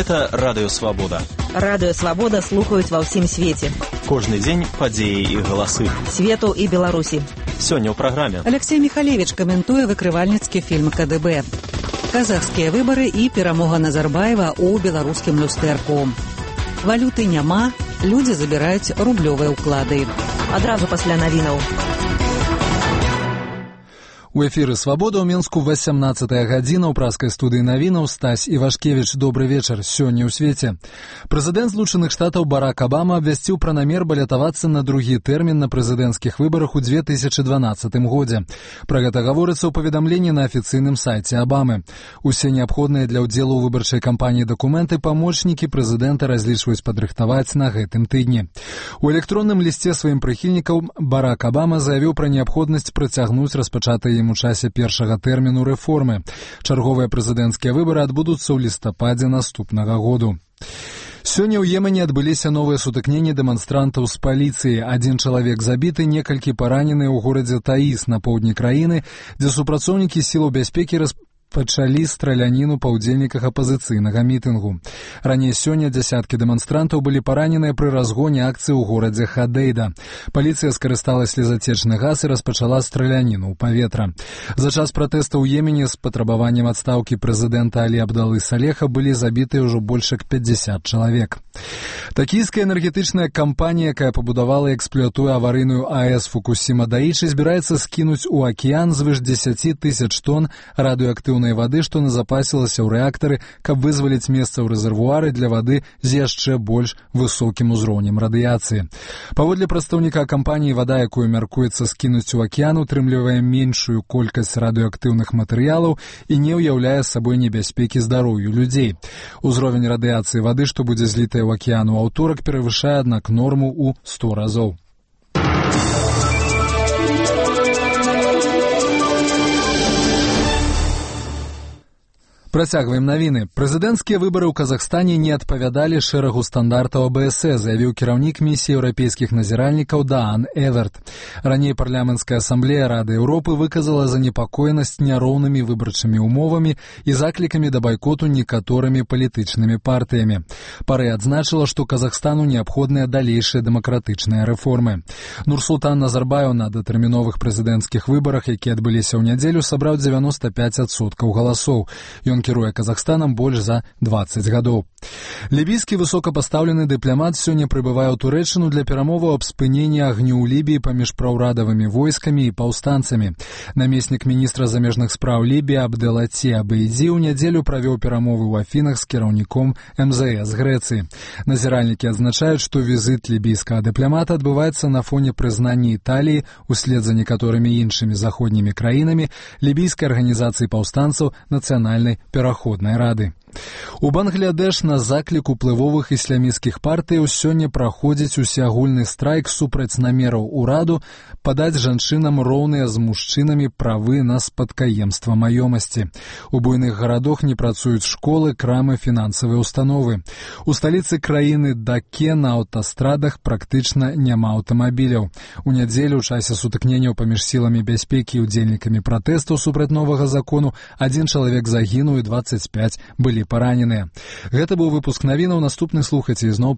Гэта Радыё Свабода. Радыё Свабода слухаюць ва ўсім свеце. Кожны дзень падзеі і галасы. Свету і Беларусі. Сёння ў праграме. Алексей Михалевич каментуе выкрывальніцкі фільм КДБ. Казахскія выбары і перамога Назарбаева ў беларускім люстэрку. Валюты няма, людзі забіраюць рублёвыя ўклады. Адразу пасля навінаў. У эфіры «Свабода» ў Менску 18-я гадзіна ў праскай студыі навінаў. Стась Івашкевіч, добры вечар. Сёння ў свеце. Прэзідэнт Злучаных Штатаў Барак Абама абвясціў пра намер балятавацца на другі тэрмін на прэзідэнцкіх выбарах у 2012 годзе. Пра гэта гаворыцца ў паведамленні на афіцыйным сайце Абамы. Усе неабходныя для ўдзелу ў выбарчай кампаніі дакументы памочнікі прэзідэнта разлічваюць падрыхтаваць на гэтым тыдні. У электронным лісце сваім прыхільнікам Барак Абама заявіў пра неабходнасць працягнуць распачатыя у часе першага тэрміну рэформы. Чарговыя прэзідэнцкія выбары адбудуцца ў лістападзе наступнага году. Сёння ў Йемене адбыліся новыя сутыкненні дэманстрантаў з паліцыяй. Адзін чалавек забіты, некалькі параненыя ў горадзе Таіс на поўдні краіны, дзе супрацоўнікі сілаў бяспекі пачалі страляніну па ўдзельніках апазіцыйнага мітынгу. Раней сёння дзясяткі дэманстрантаў былі параненыя пры разгоне акцыі ў горадзе Хадейда. Паліцыя скарыстала слезацечны газ і распачала страляніну ў паветра. За час пратэста ў Йемене з патрабаваннем адстаўкі прэзідэнта Алі Абдалы Салеха былі забітыя ўжо больш як 50 чалавек. Такійская энергетычная кампанія, якая пабудавала і эксплуатуе аварыйную АЭС Фукусіма-Даічы, збіраецца скінуць у акіян звыш 10 тысяч тонн радыеактыўнай вады, што назапасілася ў рэактары, каб вызваліць месца ў рэзервуары для вады з яшчэ больш высокім узроўнем радыяцыі. Паводле прадстаўніка кампаніі, вада, якую мяркуецца скінуць у акіян, утрымлівае меншую колькасць радыеактыўных матэрыялаў і не ўяўляе сабой небяспекі здароўю людзей. Узровень радыяцыі вады, што будзе злітая ў акіян у аўторак, перавышае, аднак, норму ў 100 разоў. Працягваем навіны. Прэзідэнцкія выбары ў Казахстане не адпавядалі шэрагу стандартаў АБС, заявіў кіраўнік місіі еўрапейскіх назіральнікаў Даан Эверт. Раней парламенцкая асамблея Рады Еўропы выказала занепакоенасць няроўнымі выбарчымі умовамі і заклікамі да байкоту некаторымі палітычнымі партыямі. Парэ адзначыла, што Казахстану неабходныя далейшыя дэмакратычныя рэформы. Нурсултан Назарбаеў на датэрміновых прэзідэнцкіх выбарах, якія адбыліся ў нядзелю, сабраў 95% галасоў. Ён кіруе Казахстанам больш за 20 гадоў. Лібійскі высокапастаўлены дыпламат сёння прыбывае ў Турэччыну для перамоваў аб спыненні агню ў Лібіі паміж праўрадавымі войскамі і паўстанцамі. Намеснік міністра замежных спраў Лібіі Абделаці Абейдзі ў нядзелю правёў перамовы ў Афінах з кіраўніком МЗС Грэцыі. Назіральнікі адзначаюць, што візіт лібійскага дыпламата адбываецца на фоне прызнання Італіі услед за некаторымі іншымі заходнімі краінамі лібійскай арганізацыі паўстанцаў нацыянальнай пераходнай рады. У Бангладеш на заклік уплывовых ісламісцкіх партыяў сёння праходзіць усеагульны страйк супраць намераў ураду падаць жанчынам роўныя з мужчынамі правы на спадкаемства маёмасці. У буйных гарадах не працуюць школы, крамы, фінансавыя установы. У сталіцы краіны Даке на аўтастрадах практычна няма аўтамабіляў. У нядзелю ў часе сутыкненняў паміж сіламі бяспекі і удзельнікамі пратэстаў супраць новага закону адзін чалавек загінуў і 25 былі параненыя. Гэта быў выпуск навінаў. Наступны слухайце ізноў